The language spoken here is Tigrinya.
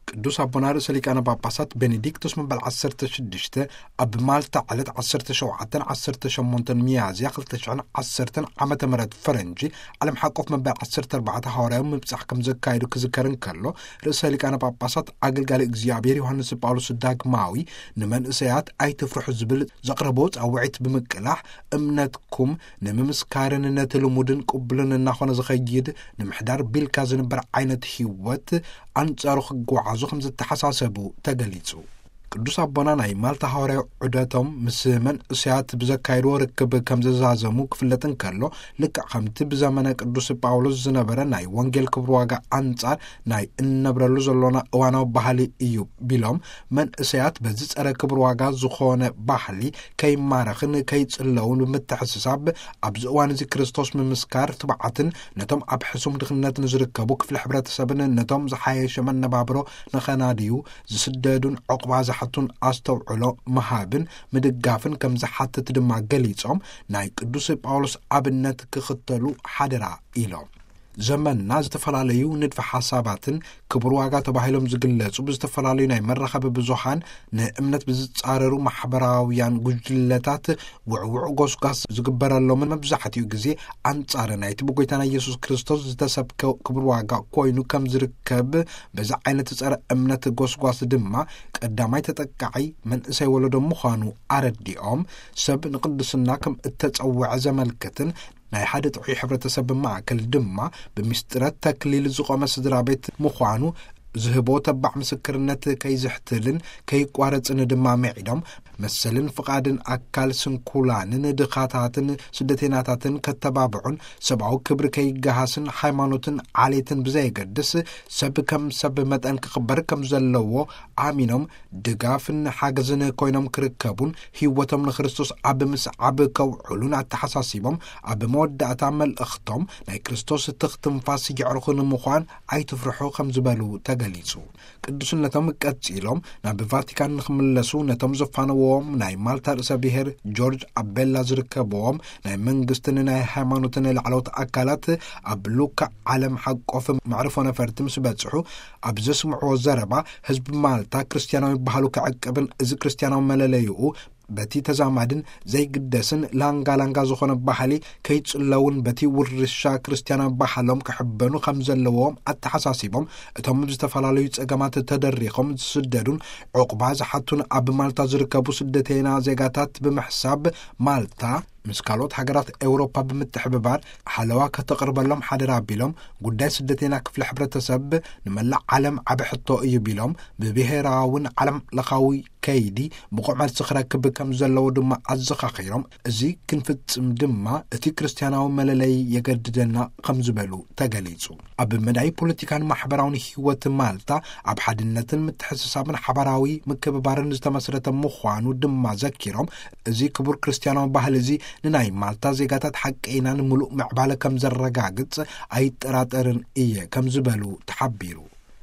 ቅዱስ ኣቦና ርእሰ ሊቃነ ጳጳሳት ቤኔዲክቶስ መበል ዓሰርተ ሽዱሽተ ኣብ ማልታ ዕለት ዓሰርተ ሸውዓተን ዓሰርተ ሸሞንተን ሚያዝያ ክልተ ሽሕን ዓሰርተን ዓመተ ምህረት ፈረንጂ ዓለም ሓቆፍ መበል ዓሰርተ ኣርባዕተ ሃዋርያዊ ምብጻሕ ከም ዘካየዱ ክዝከር እንከሎ፣ ርእሰ ሊቃነ ጳጳሳት ኣገልጋሊ እግዚኣብሔር ዮሃንስ ጳውሎስ ዳግማዊ ንመንእሰያት ኣይትፍርሑ ዝብል ዘቕረቦ ጻውዒት ብምቅላሕ፣ እምነትኩም ንምምስካርን ነቲ ልሙድን ቅቡልን እናኾነ ዝኸይድ ንምሕዳር ቢልካ ዝንበር ዓይነት ህይወት ኣንጻሩ ክጓዓዙ ከም ዝተሓሳሰቡ ተገሊጹ። ቅዱስ ኣቦና ናይ ማልታ ሃዋርያዊ ዑደቶም ምስ መንእሰያት ብዘካየድዎ ርክብ ከም ዘዛዘሙ ክፍለጥ እንከሎ፣ ልክዕ ከምቲ ብዘመነ ቅዱስ ጳውሎስ ዝነበረ ናይ ወንጌል ክብሪ ዋጋ ኣንጻር ናይ እንነብረሉ ዘሎና እዋናዊ ባህሊ እዩ ቢሎም፣ መንእሰያት በዚ ጸረ ክብሪ ዋጋ ዝኾነ ባህሊ ከይማረኽን ከይጽለውን ብምትሕስሳብ፣ ኣብዚ እዋን እዚ ክርስቶስ ምምስካር ትብዓትን ነቶም ኣብ ሕሱም ድኽነት ንዝርከቡ ክፍሊ ሕብረተሰብን ነቶም ዝሓየሸ መነባብሮ ንኸናድዩ ዝስደዱን ዕቑባ ዝሓቱን ኣስተውዕሎ ምሃብን ምድጋፍን ከም ዝሓትት ድማ ገሊጾም፣ ናይ ቅዱስ ጳውሎስ ኣብነት ክኽተሉ ሓደራ ኢሎም። ዘመንና ዝተፈላለዩ ንድፈ ሓሳባትን ክቡር ዋጋ ተባሂሎም ዝግለጹ ብዝተፈላለዩ ናይ መራኸቢ ብዙሃን ንእምነት ብዝጻረሩ ማሕበራውያን ጉጅለታት ውዕውዕ ጎስጓስ ዝግበረሎምን መብዛሕትኡ ግዜ ኣንጻር ናይቲ ብጎይታና ኢየሱስ ክርስቶስ ዝተሰብከ ክቡር ዋጋ ኮይኑ ከም ዝርከብ፣ በዚ ዓይነት ጸረ እምነት ጎስጓስ ድማ ቀዳማይ ተጠቃዒ መንእሰይ ወለዶ ምዃኑ ኣረዲኦም፣ ሰብ ንቅድስና ከም እተጸውዐ ዘመልክትን ናይ ሓደ ጥዑይ ሕብረተሰብ ማእከል ድማ ብምስጢረ ተክሊል ዝቖመ ስድራ ቤት ምዃኑ ዝህቦ ተባዕ ምስክርነት ከይዝሕትልን ከይቋረጽን ድማ ምዒዶም፣ መሰልን ፍቓድን ኣካል ስንኩላንን ድኻታትን ስደተይናታትን ከተባብዑን ሰብኣዊ ክብሪ ከይገሃስን ሃይማኖትን ዓሌትን ብዘየገድስ ሰብ ከም ሰብ መጠን ክኽበር ከም ዘለዎ ኣሚኖም ድጋፍን ሓገዝን ኮይኖም ክርከቡን ህይወቶም ንክርስቶስ ኣብ ምስዓብ ከውዕሉን ኣተሓሳሲቦም፣ ኣብ መወዳእታ መልእኽቶም ናይ ክርስቶስ ትኽ ትንፋስ የዕርኹ ንምዃን ኣይትፍርሑ ከም ዝበሉ ተገሊጹ። ቅዱስነቶም ቀጺሎም ናብ ቫቲካን ንክምለሱ ነቶም ዘፋነዎም ናይ ማልታ ርእሰ ብሔር ጆርጅ ኣቤላ ዝርከብዎም ናይ መንግስትን ናይ ሃይማኖትን ላዕለዎት ኣካላት ኣብ ሉካ ዓለም ሓቆፍ መዕርፎ ነፈርቲ ምስ በጽሑ ኣብ ዘስምዕዎ ዘረባ፣ ህዝቢ ማልታ ክርስትያናዊ ባህሉ ክዕቅብን እዚ ክርስትያናዊ መለለይኡ በቲ ተዛማድን ዘይግደስን ላንጋ ላንጋ ዝኾነ ባህሊ ከይጽለውን በቲ ውርሻ ክርስትያናዊ ባህሎም ክሕበኑ ከም ዘለዎም ኣተሓሳሲቦም፣ እቶም ብዝተፈላለዩ ጸገማት ተደሪኾም ዝስደዱን ዕቑባ ዝሓቱን ኣብ ማልታ ዝርከቡ ስደተይና ዜጋታት ብምሕሳብ፣ ማልታ ምስ ካልኦት ሃገራት ኤውሮፓ ብምትሕብባር ሓለዋ ከተቕርበሎም ሓደራ ቢሎም፣ ጉዳይ ስደተይና ክፍሊ ሕብረተሰብ ንመላእ ዓለም ዓቢ ሕቶ እዩ ቢሎም፣ ብብሄራውን ዓለም ለኻዊ ከይዲ ብቑዕ መልሲ ክረክብ ከም ዘለዎ ድማ ኣዘኻኺሮም፣ እዚ ክንፍጽም ድማ እቲ ክርስትያናዊ መለለይ የገድደና ከም ዝበሉ ተገሊጹ። ኣብ መዳይ ፖለቲካን ማሕበራውን ህይወት ማልታ ኣብ ሓድነትን ምትሕስሳብን ሓባራዊ ምክብባርን ዝተመስረተ ምዃኑ ድማ ዘኪሮም፣ እዚ ክቡር ክርስትያናዊ ባህሊ እዚ ንናይ ማልታ ዜጋታት ሓቀይናን ምሉእ ምዕባለ ከም ዘረጋግጽ ኣይጠራጠርን እየ ከም ዝበሉ ተሓቢሩ።